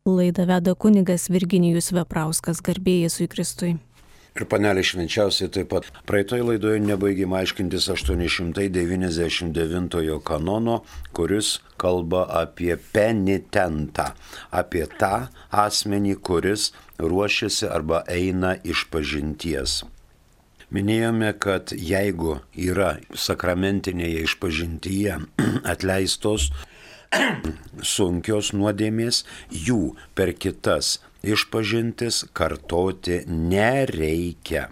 Laidą veda kunigas Virginijus Veprauskas, garbė Jėzui Kristui. Ir panelė švenčiausiai taip pat. Praeitoje laidoje nebaigėme aiškintis 899 kanono, kuris kalba apie penitentą, apie tą asmenį, kuris ruošiasi arba eina išpažinties. Minėjome, kad jeigu yra sakramentinėje išpažintyje atleistos sunkios nuodėmės, jų per kitas išpažintis kartoti nereikia.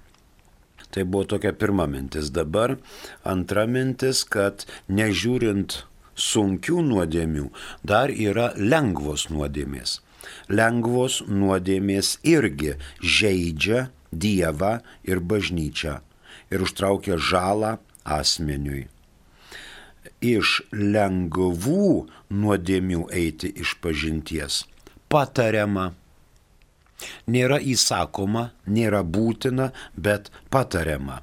Tai buvo tokia pirma mintis. Dabar antra mintis, kad nežiūrint sunkių nuodėmių, dar yra lengvos nuodėmės. Lengvos nuodėmės irgi žeidžia Dievą ir bažnyčią ir užtraukia žalą asmeniui. Iš lengvų nuodėmių eiti išpažinties patariama. Nėra įsakoma, nėra būtina, bet patariama.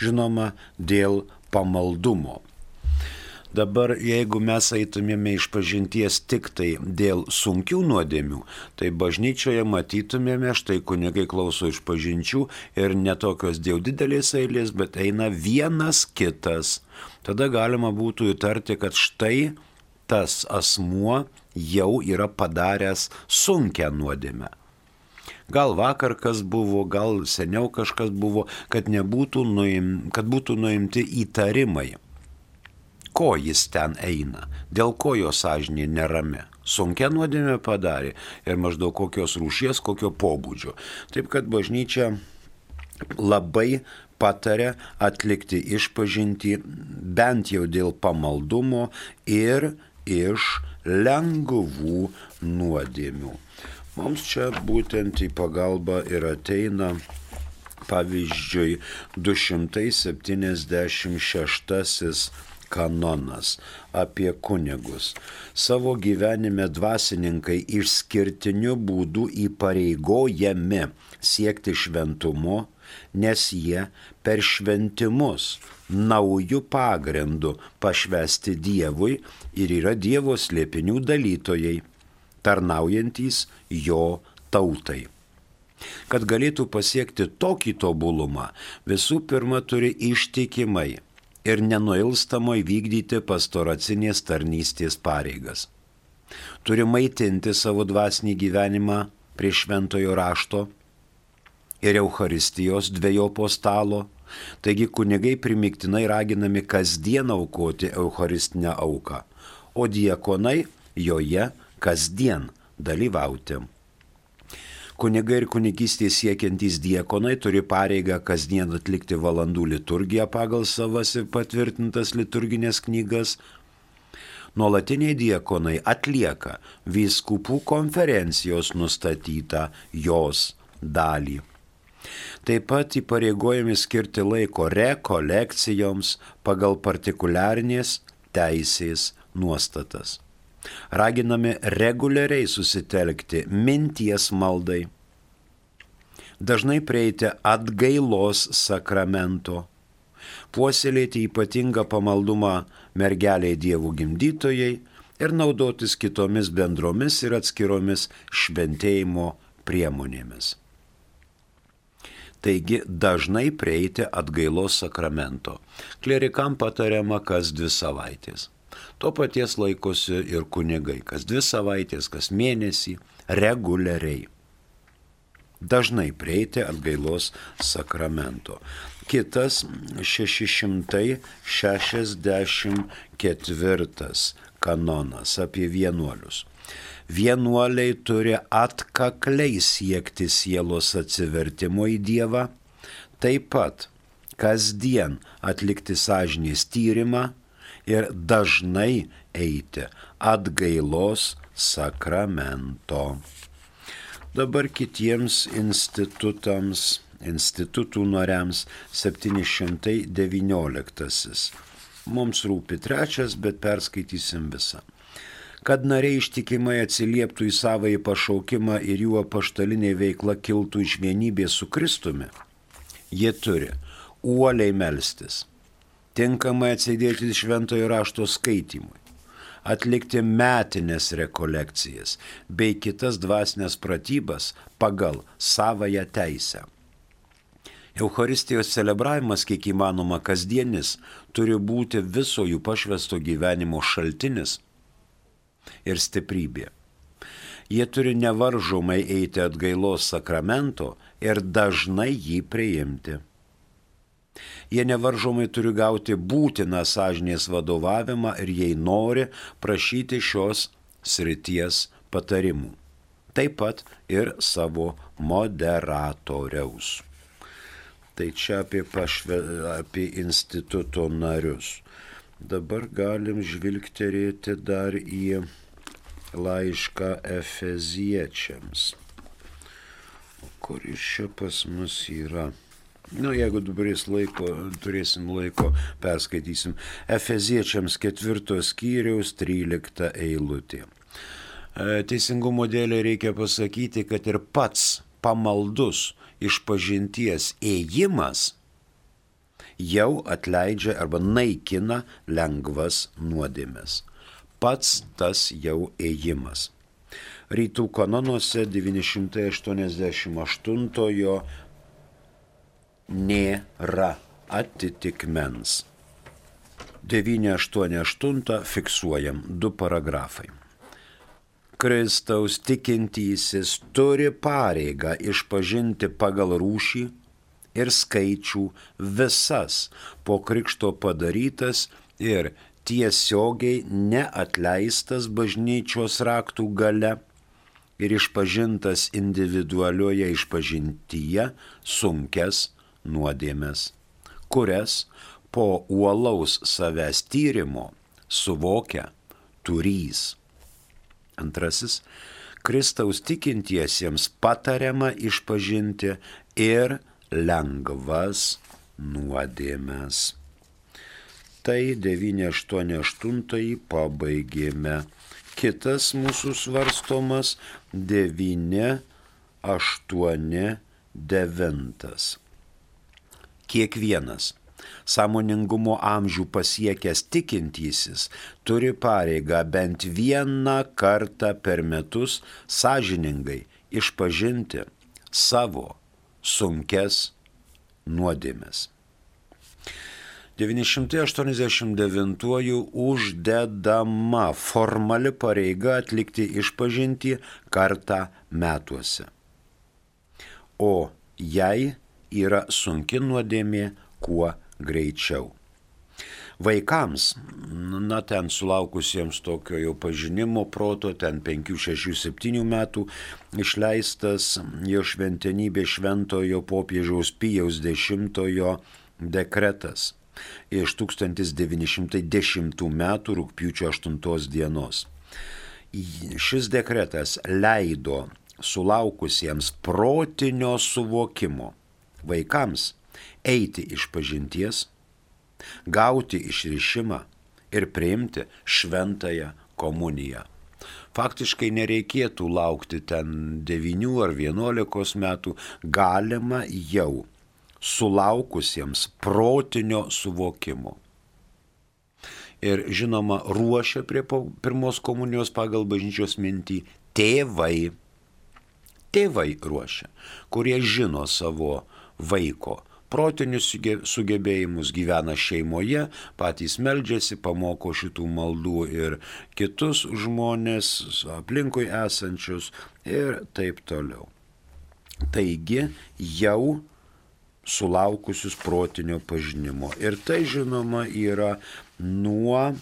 Žinoma, dėl pamaldumo. Dabar, jeigu mes eitumėme išpažinties tik tai dėl sunkių nuodėmių, tai bažnyčioje matytumėme, štai kunigai klauso išpažinčių ir netokios dėl didelės eilės, bet eina vienas kitas. Tada galima būtų įtarti, kad štai tas asmuo jau yra padaręs sunkią nuodėmę. Gal vakar kas buvo, gal seniau kažkas buvo, kad būtų nuimti įtarimai. Ko jis ten eina, dėl ko jo sąžinė nerami. Sunkia nuodėmė padarė ir maždaug kokios rūšies, kokio pobūdžio. Taip kad bažnyčia labai pataria atlikti išpažintį bent jau dėl pamaldumo ir iš lengvų nuodėmių. Mums čia būtent į pagalbą ir ateina, pavyzdžiui, 276 kanonas apie kunigus. Savo gyvenime dvasininkai išskirtiniu būdu įpareigojami siekti šventumo, nes jie per šventimus naujų pagrindų pašvęsti Dievui ir yra Dievo slėpinių dalytojai, tarnaujantys jo tautai. Kad galėtų pasiekti tokį tobulumą, visų pirma turi ištikimai ir nenuilstamai vykdyti pastoracinės tarnystės pareigas. Turi maitinti savo dvasinį gyvenimą prie šventojo rašto ir Eucharistijos dvejopo stalo, taigi kunigai primygtinai raginami kasdien aukoti Eucharistinę auką, o diakonai joje kasdien dalyvauti. Kunigai ir kunigystės siekiantys diakonai turi pareigą kasdien atlikti valandų liturgiją pagal savas ir patvirtintas liturginės knygas. Nuolatiniai diakonai atlieka vyskupų konferencijos nustatytą jos dalį. Taip pat įpareigojami skirti laiko rekolekcijoms pagal partikuliarinės teisės nuostatas. Raginami reguliariai susitelkti minties maldai, dažnai prieiti atgailos sakramento, puoselėti ypatingą pamaldumą mergeliai Dievų gimdytojai ir naudotis kitomis bendromis ir atskiromis šventėjimo priemonėmis. Taigi dažnai prieiti atgailos sakramento. Klerikam patariama kas 2 savaitės. To paties laikosi ir kunigai, kas 2 savaitės, kas mėnesį, reguliariai. Dažnai prieiti atgailos sakramento. Kitas 664 kanonas apie vienuolius. Vienuoliai turi atkakliai siekti sielos atsivertimo į Dievą, taip pat kasdien atlikti sąžinės tyrimą ir dažnai eiti atgailos sakramento. Dabar kitiems institutų nariams 719. Mums rūpi 3, bet perskaitysim visą. Kad nariai ištikimai atsilieptų į savąjį pašaukimą ir jų apaštalinė veikla kiltų iš vienybės su Kristumi, jie turi uoliai melstis, tinkamai atsidėti šventojo rašto skaitymui, atlikti metinės rekolekcijas bei kitas dvasinės pratybas pagal savąją teisę. Eucharistijos celebravimas, kiek įmanoma kasdienis, turi būti viso jų pašvęsto gyvenimo šaltinis ir stiprybė. Jie turi nevaržomai eiti atgailos sakramento ir dažnai jį priimti. Jie nevaržomai turi gauti būtiną sąžinės vadovavimą ir jei nori prašyti šios srities patarimų. Taip pat ir savo moderatoriaus. Tai čia apie instituto narius. Dabar galim žvilgterėti dar į laišką Efeziečiams. O kur jis čia pas mus yra? Jeigu dabar turėsim laiko, perskaitysim. Efeziečiams 4 skyriaus 13 eilutė. Teisingumo dėlei reikia pasakyti, kad ir pats pamaldus išpažinties ėjimas jau atleidžia arba naikina lengvas nuodėmes. Pats tas jau ėjimas. Rytų kanonuose 988 nėra atitikmens. 988 fiksuojam 2 paragrafai. Kristaus tikintysis turi pareigą išpažinti pagal rūšį ir skaičių visas po krikšto padarytas ir tiesiogiai neatleistas bažnyčios raktų gale ir išpažintas individualioje išpažintyje sunkias nuodėmes, kurias po uolaus savęs tyrimo suvokia turys. Antrasis, Kristaus tikintiesiems patariama išpažinti ir lengvas nuodėmes. Tai 988 pabaigėme. Kitas mūsų svarstomas 989. Kiekvienas sąmoningumo amžių pasiekęs tikintysis turi pareigą bent vieną kartą per metus sąžiningai išpažinti savo sunkias nuodėmes. 989 uždedama formali pareiga atlikti išpažintį kartą metuose. O jei yra sunki nuodėmė, kuo greičiau. Vaikams, ten sulaukusiems tokio jau pažinimo proto, ten 5, 6, 7 metų, išleistas jo šventenybė šventojo popiežiaus Pijaus X dekretas iš 1910 metų rugpjūčio 8 dienos. Šis dekretas leido sulaukusiems protinio suvokimo vaikams eiti išpažinties, gauti išrišimą ir priimti šventąją komuniją. Faktiškai nereikėtų laukti ten 9 ar 11 metų, galima jau sulaukusiems protinio suvokimo. Ir žinoma, ruošia prie pirmos komunijos pagal bažnyčios mintį tėvai. Tėvai ruošia, kurie žino savo vaiko protinius sugebėjimus, gyvena šeimoje, patys meldžiasi, pamoko šitų maldų ir kitus žmonės aplinkui esančius ir taip toliau. Taigi jau sulaukusius protinio pažinimo. Ir tai žinoma yra nuo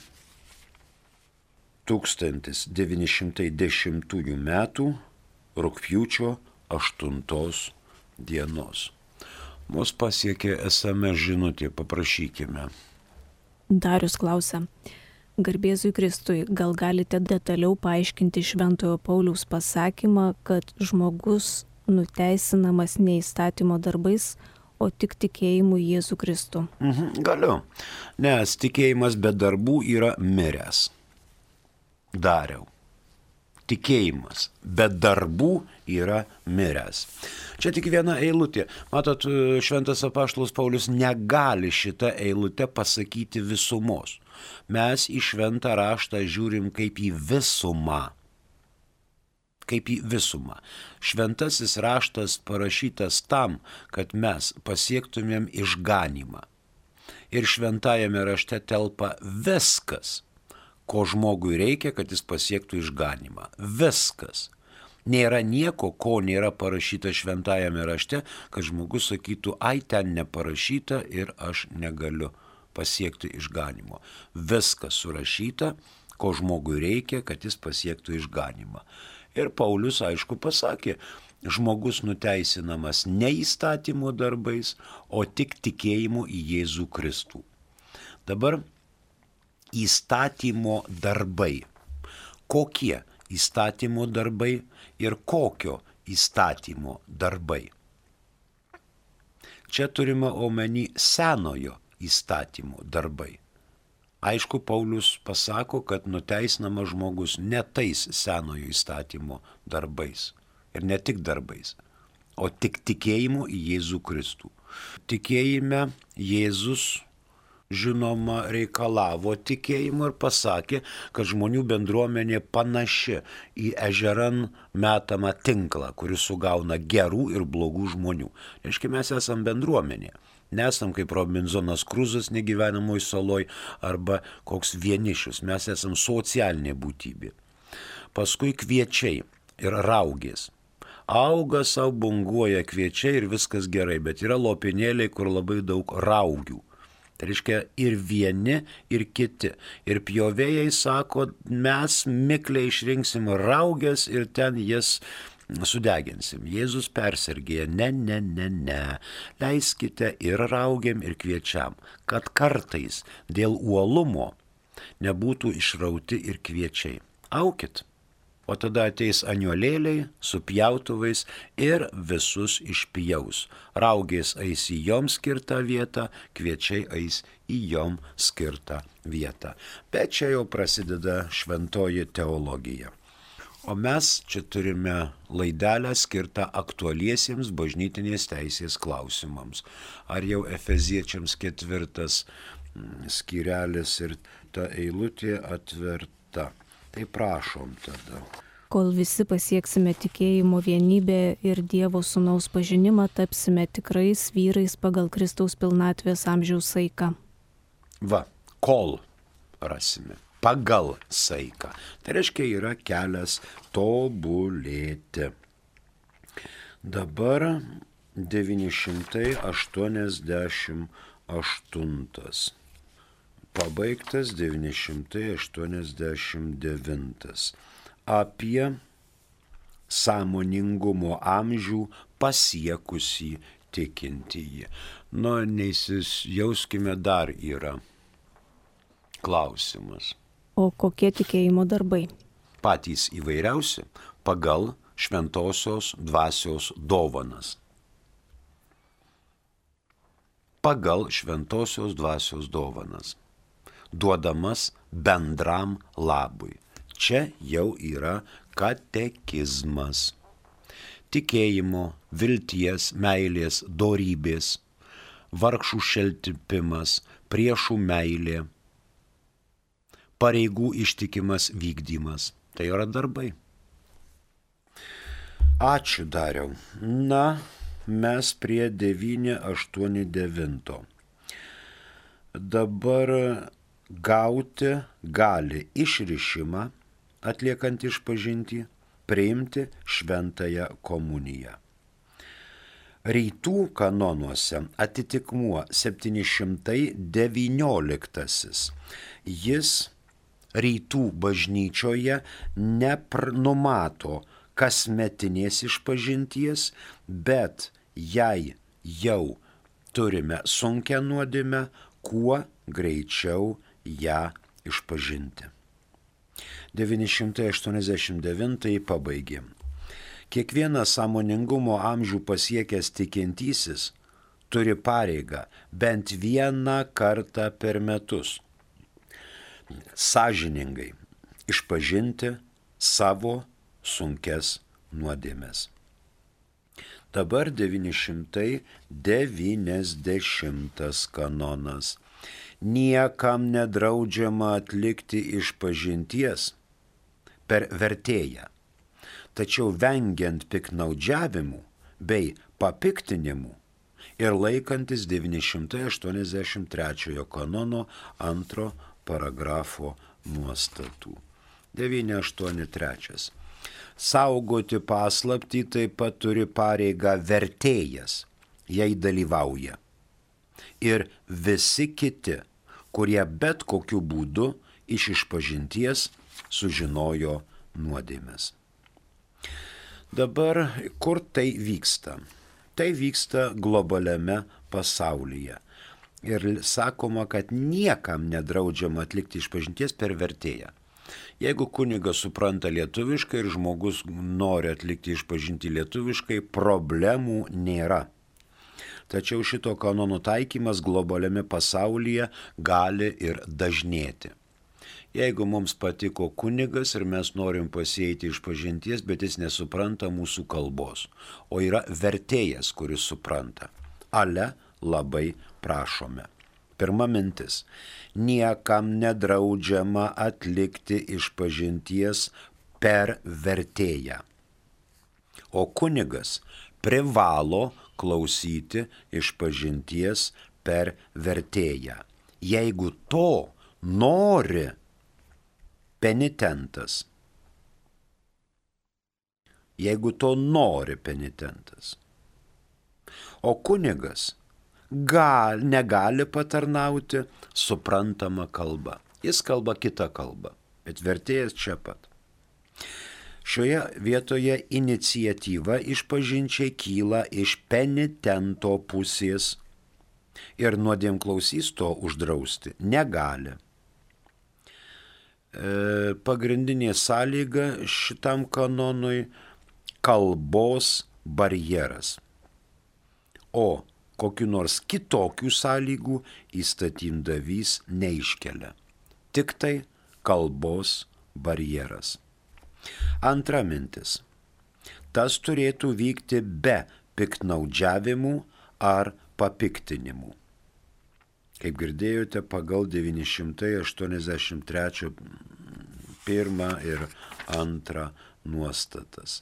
1910 metų rugpjūčio 8 dienos. Mus pasiekė SMS žinutė, paprašykime. Darius klausia, garbėzui Kristui, gal galite detaliau paaiškinti Šventojo Pauliaus pasakymą, kad žmogus nuteisinamas ne įstatymo darbais, o tik tikėjimu Jėzų Kristų? Galiu, nes tikėjimas be darbų yra miręs. Dariau. Tikėjimas be darbų yra miręs. Čia tik viena eilutė. Matot, šventas apaštalas Paulius negali šitą eilutę pasakyti visumos. Mes į šventą raštą žiūrim kaip į visumą. Kaip į visumą. Šventasis raštas parašytas tam, kad mes pasiektumėm išganymą. Ir šventajame rašte telpa viskas, ko žmogui reikia, kad jis pasiektų išganymą. Viskas. Nėra nieko, ko nėra parašyta šventajame rašte, kad žmogus sakytų, ai ten neparašyta ir aš negaliu pasiekti išganimo. Viskas surašyta, ko žmogui reikia, kad jis pasiektų išganymą. Ir Paulius, aišku, pasakė, žmogus nuteisinamas ne įstatymo darbais, o tik tikėjimu į Jėzų Kristų. Dabar įstatymo darbai. Kokie įstatymo darbai ir kokio įstatymo darbai? Čia turime omeny senojo įstatymo darbai. Aišku, Paulius pasako, kad nuteisinamas žmogus ne tais senojo įstatymo darbais. Ir ne tik darbais, o tik tikėjimu į Jėzų Kristų. Tikėjime Jėzus, žinoma, reikalavo tikėjimo ir pasakė, kad žmonių bendruomenė panaši į ežeran metamą tinklą, kuris sugauna gerų ir blogų žmonių. Reiškia, mes esam bendruomenė. Nesam kaip Robinzonas Kruzas negyvenamoj saloj arba koks vienišius. Mes esam socialinė būtybė. Paskui kviečiai ir raugės. Auga savo, bunguoja kviečiai ir viskas gerai, bet yra lopinėliai, kur labai daug raugių. Tai reiškia ir vieni, ir kiti. Ir pjovėjai sako, mes mikliai išrinksim raugės ir ten jas sudeginsim. Jėzus persergėja, ne. Leiskite ir raugiam, ir kviečiam, kad kartais dėl uolumo nebūtų išrauti ir kviečiai. Aukit. O tada ateis aniuolėliai su pjautuvais ir visus išpjaus. Raugės eis į joms skirtą vietą, kviečiai eis į jom skirtą vietą. Bet čia jau prasideda šventoji teologija. O mes čia turime laidelę skirtą aktualiesiems bažnytinės teisės klausimams. Ar jau Efeziečiams 4 skyrelis ir ta eilutė atverta. Tai prašom tada. Kol visi pasieksime tikėjimo vienybę ir Dievo Sūnaus pažinimą, tapsime tikrais vyrais pagal Kristaus pilnatvės amžiaus saiką. Va, kol rasime. Pagal saiką. Tai reiškia, yra kelias tobulėti. Dabar 988. Pabaigtas 989. Apie sąmoningumo amžių pasiekusį tikintįjį. Nu, neįsijauskime, dar yra klausimas. O kokie tikėjimo darbai? Patys įvairiausi pagal šventosios dvasios dovanas. Pagal šventosios dvasios dovanas. Duodamas bendram labui. Čia jau yra katekizmas. Tikėjimo, vilties, meilės, dorybės, vargšų šeltipimas, priešų meilė, pareigų ištikimas vykdymas. Tai yra darbai. Ačiū, Dariau. Na, mes prie 989. Dabar gauti gali išrišimą, atliekant išpažintį, priimti šventąją komuniją. Rytų kanonuose atitikmuo 719. Jis rytų bažnyčioje nenumato kasmetinės išpažinties, bet jei jau turime sunkią nuodėmę, kuo greičiau ją išpažinti. 989 pabaigėm. Kiekvienas sąmoningumo amžių pasiekęs tikintysis turi pareigą bent vieną kartą per metus sąžiningai išpažinti savo sunkes nuodėmes. Dabar 990 kanonas. niekam nedraudžiama atlikti išpažinties per vertėją, tačiau vengiant piknaudžiavimų bei papiktinimų ir laikantis 983 kanono 2 paragrafo nuostatų. 983. Saugoti paslaptį taip pat turi pareigą vertėjas, jei dalyvauja, ir visi kiti, kurie bet kokiu būdu iš išpažinties sužinojo nuodėmes. Dabar kur tai vyksta? Tai vyksta globaliame pasaulyje. Ir sakoma, kad niekam nedraudžiama atlikti išpažinties per vertėją. Jeigu kunigas supranta lietuviškai ir žmogus nori atlikti išpažintį lietuviškai, problemų nėra. Tačiau šito kanono taikymas globaliame pasaulyje gali ir dažnėti. Jeigu mums patiko kunigas ir mes norim pasieiti išpažinties, bet jis nesupranta mūsų kalbos, o yra vertėjas, kuris supranta, ale labai prašome. Pirma mintis. Niekam nedraudžiama atlikti išpažinties per vertėją. O kunigas privalo klausyti išpažinties per vertėją. Jeigu to nori penitentas. Jeigu to nori penitentas. O kunigas negali patarnauti suprantama kalba. Jis kalba kitą kalbą, bet vertėjas čia pat. Šioje vietoje iniciatyva išpažinčiai kyla iš penitento pusės ir nuodėmklausys to uždrausti negali. Pagrindinė sąlyga šitam kanonui – kalbos barjeras. O kokiu nors kitokių sąlygų įstatymdavys neiškelia. Tik tai kalbos barjeras. Antra mintis. Tas turėtų vykti be piktnaudžiavimų ar papiktinimų. Kaip girdėjote, pagal 983 1 ir 2 nuostatas.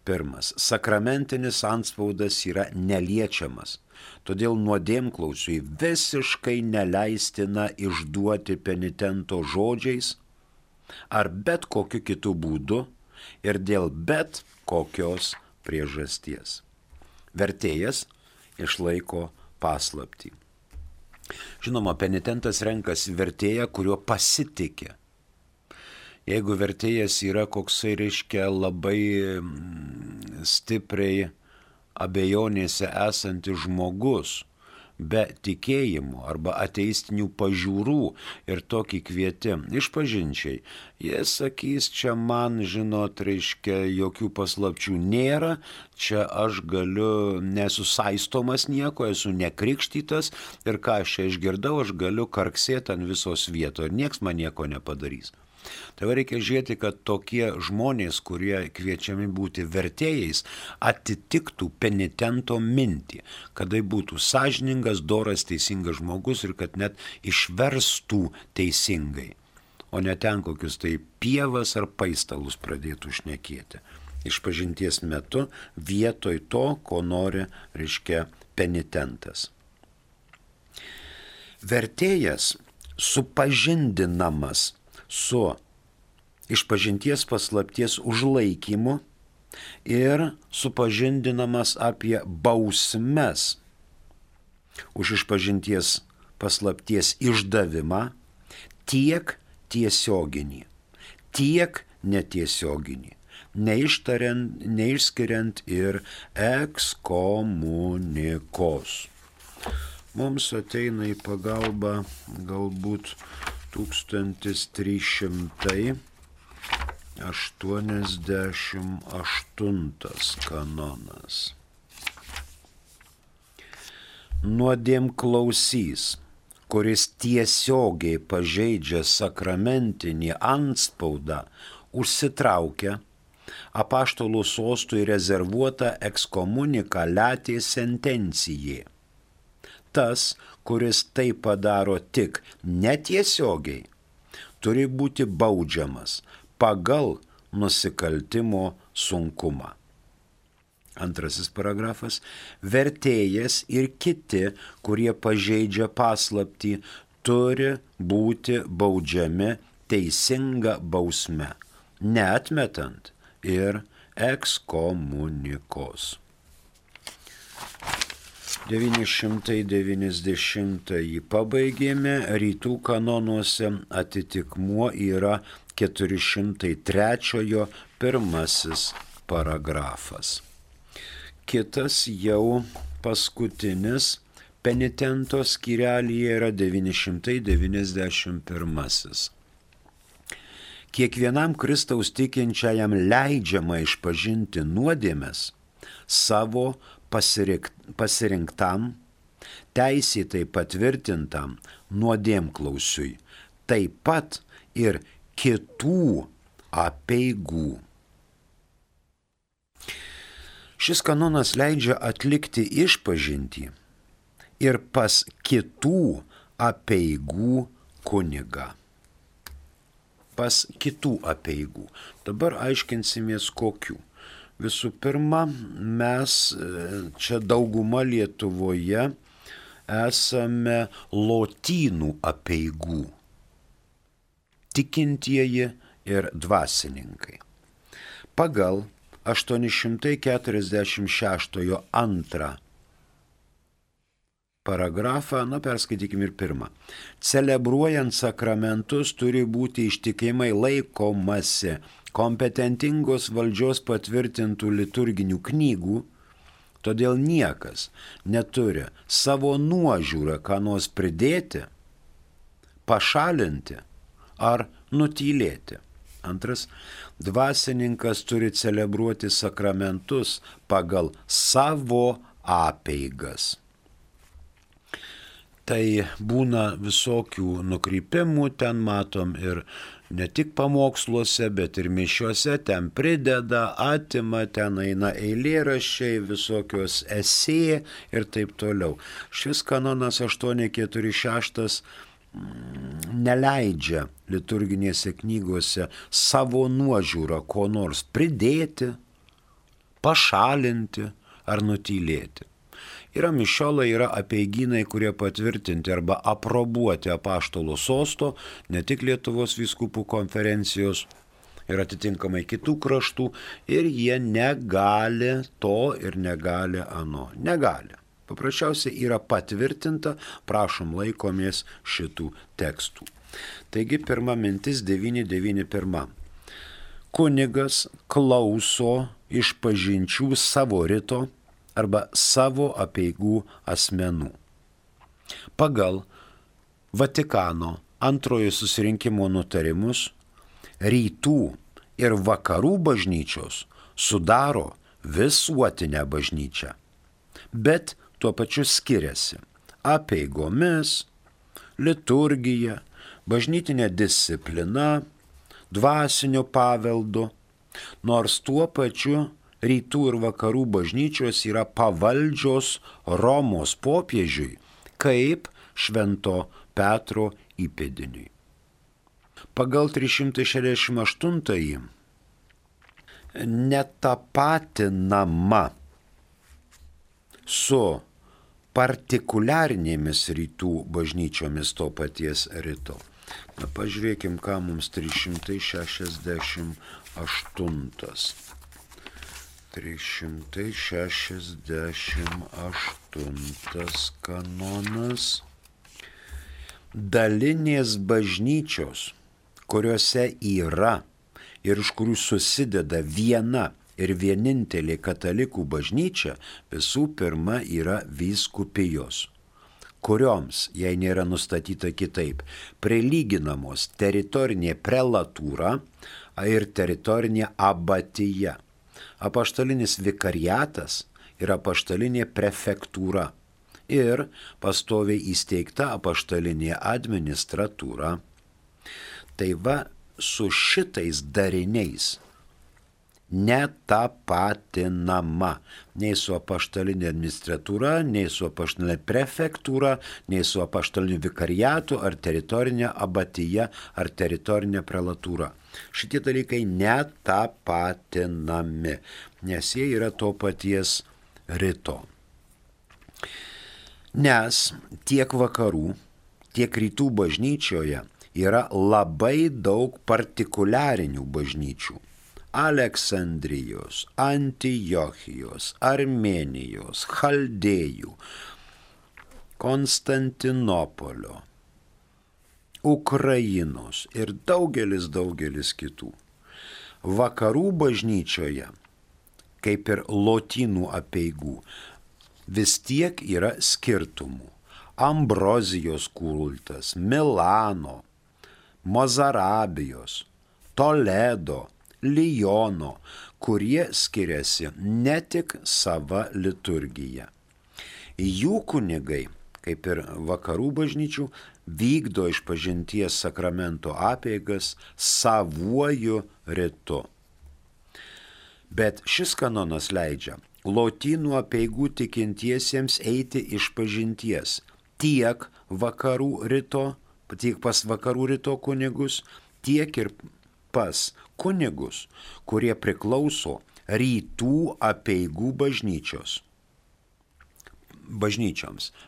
Pirmas. Sakramentinis antspaudas yra neliečiamas, todėl nuodėmklausiui visiškai neleistina išduoti penitento žodžiais ar bet kokiu kitu būdu ir dėl bet kokios priežasties. Vertėjas išlaiko paslaptį. Žinoma, penitentas renkasi vertėją, kuriuo pasitikė. Jeigu vertėjas yra koksai, reiškia, labai stipriai abejonėse esantis žmogus, be tikėjimų arba ateistinių pažiūrų ir tokį kvieti išpažinčiai, jie sakys, čia man, žinot, reiškia, jokių paslapčių nėra, čia aš galiu, nesu saistomas nieko, esu nekrikštytas ir ką aš čia išgirdau, aš galiu karksėti ant visos vietos ir nieks man nieko nepadarys. Tai reikia žiūrėti, kad tokie žmonės, kurie kviečiami būti vertėjais, atitiktų penitento mintį, kad tai būtų sąžiningas, doras, teisingas žmogus ir kad net išverstų teisingai, o ne ten kokius tai pievas ar paistalus pradėtų šnekėti. Išpažinties metu vietoj to, ko nori, reiškia, penitentas. Vertėjas supažindinamas su išpažinties paslapties užlaikymu ir supažindinamas apie bausmes už išpažinties paslapties išdavimą tiek tiesioginį, tiek netiesioginį, neišskiriant ir ekskomunikos. Mums ateina į pagalbą galbūt 1388 kanonas. Nuodėmklausys, kuris tiesiogiai pažeidžia sakramentinį antspaudą, užsitraukia apaštalų sostui rezervuotą ekskomuniką latė sentencijai. tas, kuris tai padaro tik netiesiogiai, turi būti baudžiamas pagal nusikaltimo sunkumą. Antrasis paragrafas. Vertėjas ir kiti, kurie pažeidžia paslaptį, turi būti baudžiami teisinga bausme, neatmetant ir ekskomunikos. 990 pabaigėme, rytų kanonuose atitikmuo yra 403 pirmasis paragrafas. Kitas jau paskutinis penitento skyrelyje yra 991. Kiekvienam Kristaus tikinčiajam leidžiama išpažinti nuodėmes savo pasirinktam, teisėtai patvirtintam nuodėmklausiui, taip pat ir kitų apeigų. Šis kanonas leidžia atlikti išpažintį ir pas kitų apeigų kunigą. Pas kitų apeigų. Dabar aiškinsimės kokių. Visų pirma, mes čia dauguma Lietuvoje esame lotynų apeigų. Tikintieji ir dvasininkai. Pagal 846 antrą paragrafą, perskaitykim ir pirmą. Celebruojant sakramentus turi būti ištikimai laikomasi kompetentingos valdžios patvirtintų liturginių knygų, todėl niekas neturi savo nuožiūrą ką nors pridėti, pašalinti ar nutylėti. Antras, dvasininkas turi celebruoti sakramentus pagal savo apeigas. Tai būna visokių nukrypimų, ten matom ir ne tik pamoksluose, bet ir mišiuose, ten prideda, atima, ten eina eilėraščiai, visokios esė ir taip toliau. Šis kanonas 846 neleidžia liturginėse knygose savo nuožiūrą ko nors pridėti, pašalinti ar nutylėti. Yra mišiolai, yra apeigynai, kurie patvirtinti arba aprobuoti apaštalo sosto, ne tik Lietuvos vyskupų konferencijos ir atitinkamai kitų kraštų, ir jie negali to ir negali ano. Negali. Paprasčiausiai yra patvirtinta, prašom laikomės šitų tekstų. Taigi pirma mintis 991. Kunigas klauso išpažinčių savo rito arba savo apeigų asmenų. Pagal Vatikano antrojo susirinkimo nutarimus rytų ir vakarų bažnyčios sudaro visuotinę bažnyčią, bet tuo pačiu skiriasi apeigomis, liturgija, bažnytinė disciplina, dvasinio paveldu, nors tuo pačiu rytų ir vakarų bažnyčios yra pavaldžios Romos popiežiui kaip Švento Petro įpėdiniui. Pagal 368 netapatinama su partikuliarinėmis rytų bažnyčiomis to paties rito. Pažiūrėkim, ką mums 368. 368 kanonas. Dalinės bažnyčios, kuriuose yra ir iš kurių susideda viena ir vienintelė katalikų bažnyčia, visų pirma yra vyskupijos, kurioms, jei nėra nustatyta kitaip, prilyginamos teritorinė prelatūra ir teritorinė abatija, apaštalinis vikariatas ir apaštalinė prefektūra ir pastoviai įsteigta apaštalinė administratūra. Tai va, su šitais dariniais netapatinama nei su apaštalinė administratūra, nei su apaštalinė prefektūra, nei su apaštaliniu vikariatu, ar teritorinė abatija, ar teritorinė prelatūra. Šitie dalykai netapatinami, nes jie yra to paties rito. Nes tiek vakarų, tiek rytų bažnyčioje yra labai daug partikuliarinių bažnyčių. Aleksandrijos, Antiochijos, Armėnijos, Chaldėjų, Konstantinopolio, Ukrainos ir daugelis kitų. Vakarų bažnyčioje, kaip ir lotynų apeigų, vis tiek yra skirtumų. Ambrozijos kultas, Milano, Mozarabijos, Toledo, Liono, kurie skiriasi ne tik sava liturgija. Jų kunigai, kaip ir vakarų bažnyčių, vykdo išpažinties sakramento apeigas savuoju ritu. Bet šis kanonas leidžia lotynų apeigų tikintiesiems eiti išpažinties tiek vakarų rito, tiek pas vakarų rito kunigus, tiek ir pas kunigus, kurie priklauso rytų apeigų bažnyčioms,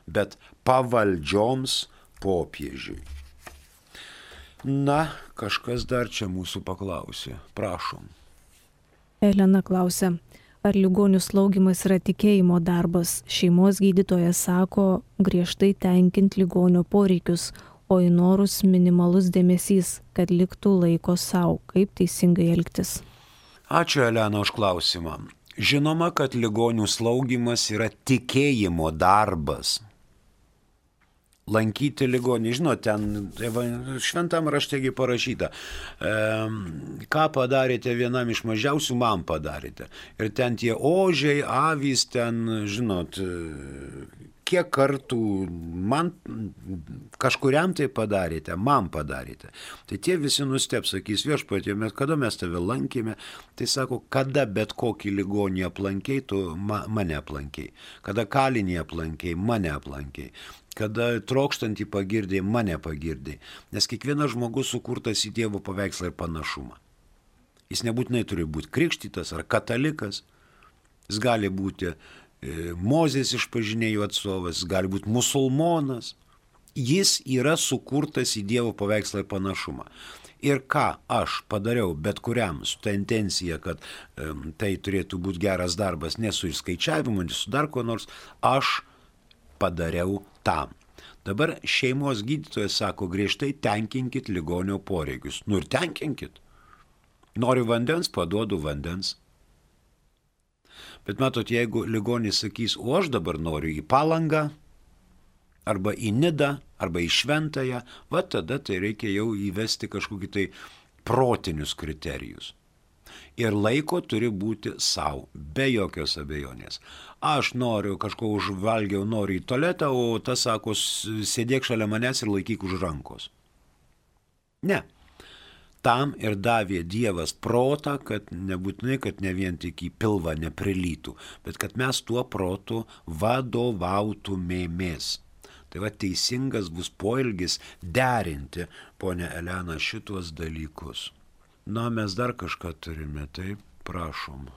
bet pavaldžioms popiežiui. Na, kažkas dar čia mūsų paklausė. Prašom. Elena klausia, ar ligonių slaugymas yra tikėjimo darbas? Šeimos gydytojas sako griežtai tenkinti ligonio poreikius, o į norus minimalus dėmesys, kad liktų laiko savo. Kaip teisingai elgtis? Ačiū, Elena, už klausimą. Žinoma, kad ligonių slaugymas yra tikėjimo darbas. Lankyti ligonį, žinot, ten šventam raštegi parašyta, ką padarėte vienam iš mažiausių, man padarėte. Ir ten tie ožiai, avys, ten, žinot, kiek kartų man kažkuriam tai padarėte, man padarėte. Tai tie visi nusteps, sakys, viešpatie, kada mes tave lankėme, tai sako, kada bet kokį ligonį aplankei, tu mane aplankei. Kada kalinį aplankei, mane aplankei. Kada trokštantį pagirdai, mane pagirdai. Nes kiekvienas žmogus sukurtas į Dievo paveikslą ir panašumą. Jis nebūtinai turi būti krikštytas ar katalikas. Jis gali būti Mozės išpažinėjų atstovas, jis gali būti musulmonas. Jis yra sukurtas į Dievo paveikslą ir panašumą. Ir ką aš padariau bet kuriam su ta intencija, kad tai turėtų būti geras darbas, ne su išskaičiavimu, ne su dar ko nors, aš padariau tam. Dabar šeimos gydytojas sako, griežtai tenkinkit ligonio poreikius. Nu ir tenkinkit. Noriu vandens, paduodu vandens. Bet matot, jeigu ligonis sakys, o aš dabar noriu į Palangą, arba į Nidą, arba į Šventąją, va tada tai reikia jau įvesti kažkokį tai protinius kriterijus. Ir laiko turi būti savo, be jokios abejonės. Aš noriu, kažko užvalgiau, noriu į tualetą, o tas sako, sėdėk šalia manęs ir laikyk už rankos. Ne. Tam ir davė Dievas protą, kad nebūtinai, kad ne vien tik į pilvą neprilytų, bet kad mes tuo protu vadovautumėmės. Tai va teisingas bus poelgis derinti, ponia Elena, šitos dalykus. Na, mes dar kažką turime, taip, prašom.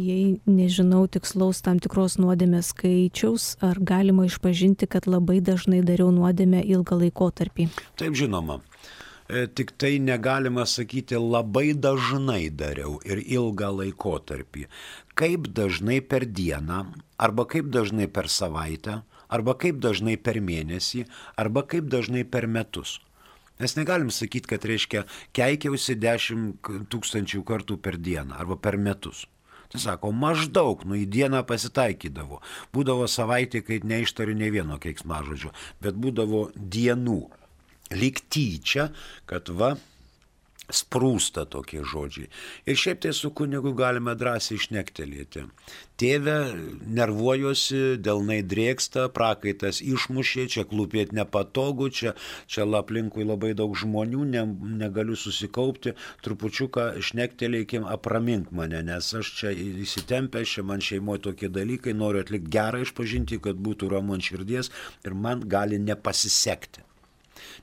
Jei nežinau tikslaus tam tikros nuodėmės skaičiaus, ar galima išpažinti, kad labai dažnai dariau nuodėmę ilgą laikotarpį? Taip, žinoma. Tik tai negalima sakyti labai dažnai dariau ir ilgą laikotarpį. Kaip dažnai per dieną, arba kaip dažnai per savaitę, arba kaip dažnai per mėnesį, arba kaip dažnai per metus. Mes negalim sakyti, kad reiškia keikiausi 10 000 kartų per dieną arba per metus. Tai sako, maždaug, į dieną pasitaikydavo. Būdavo savaitė, kai neištariu nei vieno keiksmažodžio, bet būdavo dienų. Lyg tyčia, kad sprūsta tokie žodžiai. Ir šiaip tai su kunigu galime drąsiai šnektelėti. Tėve, nervuojuosi, delnai drėksta, prakaitas išmušė, čia klūpėti nepatogu, čia aplinkui labai daug žmonių, negaliu susikaupti, trupučiuką šnektelėkim, apramink mane, nes aš čia įsitempęs, čia man šeimoje tokie dalykai, noriu atlikti gerą išpažinti, kad būtų ramu ant širdies ir man gali nepasisekti.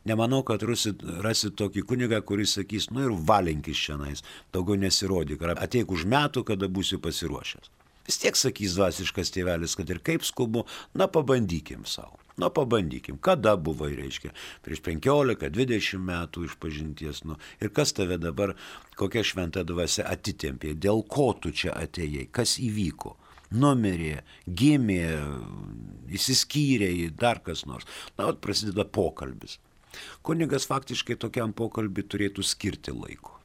Nemanau, kad rasit tokį kunigą, kuris sakys, ir valinkis šiandien, daugiau nesirodyk, ar ateik už metų, kada būsi pasiruošęs. Vis tiek sakys dvasiškas tėvelis, kad ir kaip skubu, pabandykim savo. Pabandykim, kada buvai, reiškia, prieš 15-20 metų išpažinties, ir kas tave dabar, kokia šventa dvasia atitempė, dėl ko tu čia atėjai, kas įvyko. Numirė, gimė, įsiskyrė, dar kas nors. Prasideda pokalbis. Kunigas faktiškai tokiam pokalbį turėtų skirti laiko.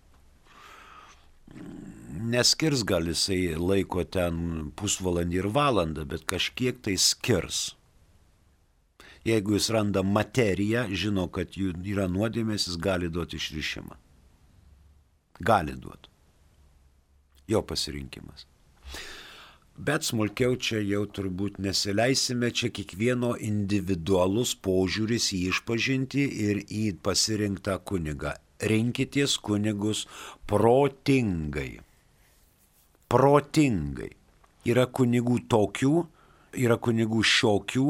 Neskirs gal jisai laiko ten pusvalandį ir valandą, bet kažkiek tai skirs. Jeigu jis randa materiją, žino, kad yra nuodėmės, jis gali duoti išrišimą. Gali duoti. Jo pasirinkimas. Bet smulkiau čia jau turbūt nesileisime, čia kiekvieno individualus požiūris į išpažintį ir į pasirinktą kunigą. Rinkitės kunigus protingai. Protingai. Yra kunigų tokių, yra kunigų šiokių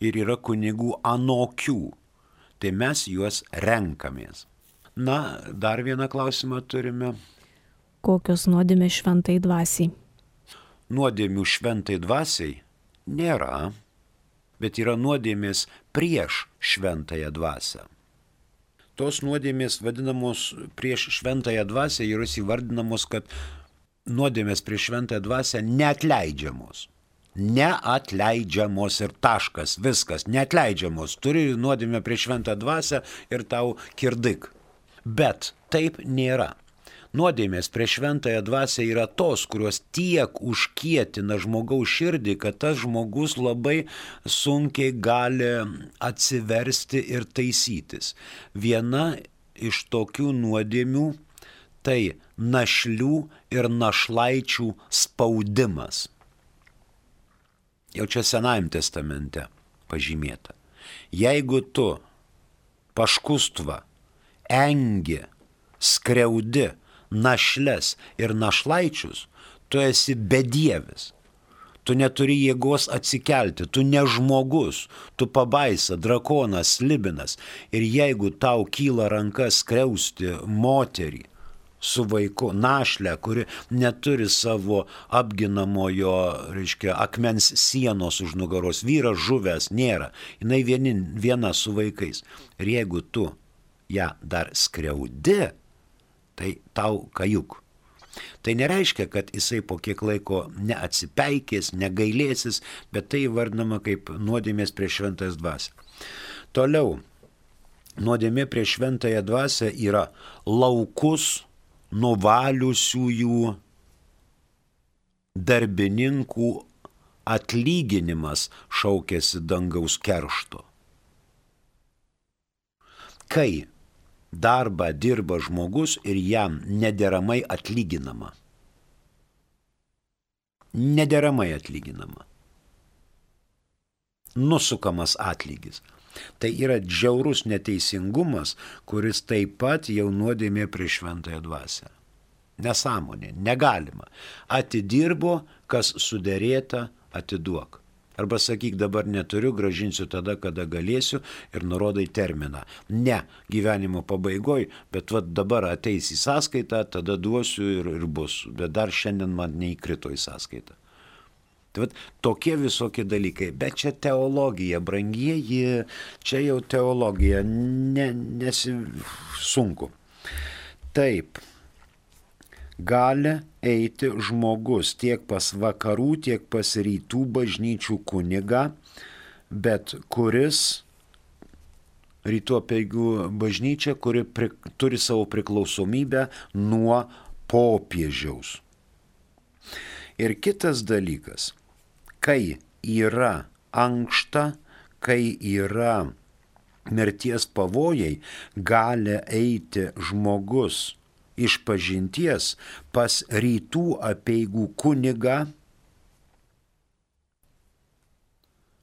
ir yra kunigų anokių. Tai mes juos renkamės. Dar vieną klausimą turime. Kokios nuodėmės šventai dvasiai? Nuodėmių šventai dvasiai nėra, bet yra nuodėmės prieš šventąją dvasią. Tos nuodėmės vadinamos prieš šventąją dvasią yra įvardinamos, kad nuodėmės prieš šventąją dvasią neatleidžiamos. Neatleidžiamos ir taškas, viskas, neatleidžiamos. Turi nuodėmę prieš šventą dvasią ir tau kirdik. Bet taip nėra. Nuodėmės prieš šventąją dvasią yra tos, kurios tiek užkietina žmogaus širdį, kad tas žmogus labai sunkiai gali atsiversti ir taisytis. Viena iš tokių nuodėmių tai našlių ir našlaičių spaudimas. Jau čia Senajame testamente pažymėta. Jeigu tu paškustva, engi, skriaudi našles ir našlaičius, tu esi bedievis. Tu neturi jėgos atsikelti, tu ne žmogus, tu pabaisa, drakonas, slibinas. Ir jeigu tau kyla ranka skriausti moterį su vaiku, našlę, kuri neturi savo apginamojo, akmens sienos už nugaros, vyras žuvęs nėra, jinai viena su vaikais. Ir jeigu tu ją dar skriaudi, tai tau kajuk. Tai nereiškia, kad jisai po kiek laiko neatsipeikės, negailėsis, bet tai vardinama kaip nuodėmės prieš šventąją dvasią. Toliau, nuodėmė prieš šventąją dvasią yra laukus nuvaliusiųjų darbininkų atlyginimas šaukėsi dangaus keršto. Kai darbą dirba žmogus ir jam nederamai atlyginama. Nederamai atlyginama. Nusukamas atlygis. Tai yra džiaurus neteisingumas, kuris taip pat jau nuodėmė prieš šventąją dvasią. Nesąmonė, negalima. Atidirbo, kas suderėta, atiduok. Arba sakyk, dabar neturiu, grąžinsiu tada, kada galėsiu ir nurodai terminą. Ne gyvenimo pabaigoj, bet dabar ateis į sąskaitą, tada duosiu ir bus. Bet dar šiandien man neįkrito į sąskaitą. Tai tokie visokie dalykai. Bet čia teologija, brangieji, čia jau teologija, sunku. Taip. Gali eiti žmogus tiek pas vakarų, tiek pas rytų bažnyčių kunigą, bet kuris rytų apeigų bažnyčia, kuri turi savo priklausomybę nuo popiežiaus. Ir kitas dalykas, kai yra ankšta, kai yra mirties pavojai, gali eiti žmogus išpažinties pas rytų apeigų kunigą,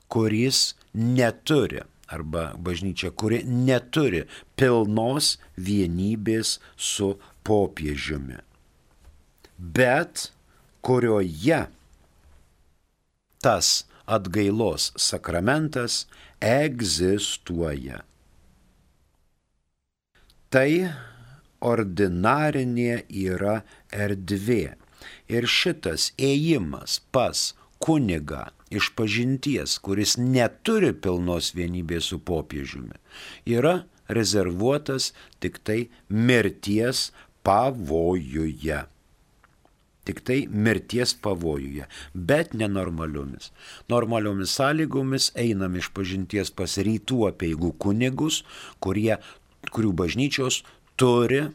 kuris neturi, arba bažnyčia, kuri neturi pilnos vienybės su popiežiumi, bet kurioje tas atgailos sakramentas egzistuoja. Tai ordinarinė yra erdvė. Ir šitas ėjimas pas kunigą išpažinties, kuris neturi pilnos vienybės su popiežiumi, yra rezervuotas tik tai mirties pavojuje. Tik tai mirties pavojuje, bet nenormaliomis. Normaliomis sąlygomis einam išpažinties pas rytų apeigų kunigus, kurių bažnyčios turi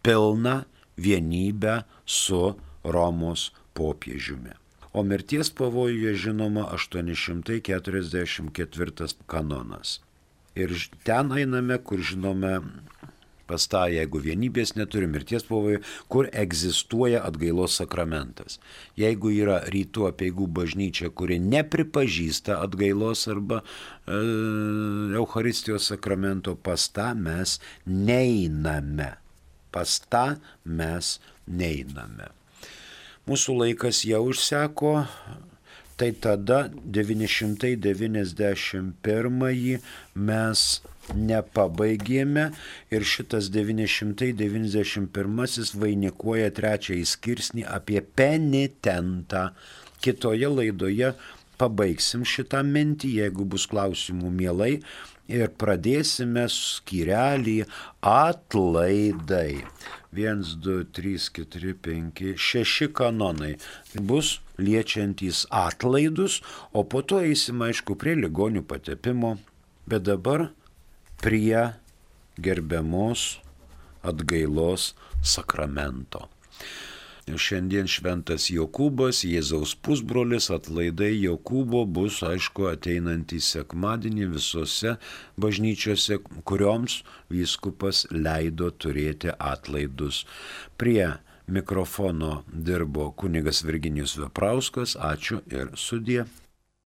pilną vienybę su Romos popiežiumi. O mirties pavojuje žinoma 844 kanonas. Ir ten einame, kur žinome pas tą, jeigu vienybės neturi mirties pavojuje, kur egzistuoja atgailos sakramentas. Jeigu yra rytų apeigų bažnyčia, kuri nepripažįsta atgailos arba Eucharistijos sakramento, pas tą mes neiname. Pas tą mes neiname. Mūsų laikas jau išseko, tai tada 991 mes nepabaigėme ir šitas 991 vainikuoja trečiąjį skirsnį apie penitentą. Kitoje laidoje pabaigsim šitą mintį, jeigu bus klausimų mielai, ir pradėsime skyrelį atlaidai. 1, 2, 3, 4, 5, 6 kanonai bus liečiantys atlaidus, o po to eisim, aišku, prie ligonių patepimo, bet dabar prie gerbiamos atgailos sakramento. Šiandien šventas Jokūbas, Jėzaus pusbrolis, atlaidai Jokūbo bus, aišku, ateinantį sekmadienį visose bažnyčiose, kurioms vyskupas leido turėti atlaidus. Prie mikrofono dirbo kunigas Virginijus Veprauskas. Ačiū ir sudie.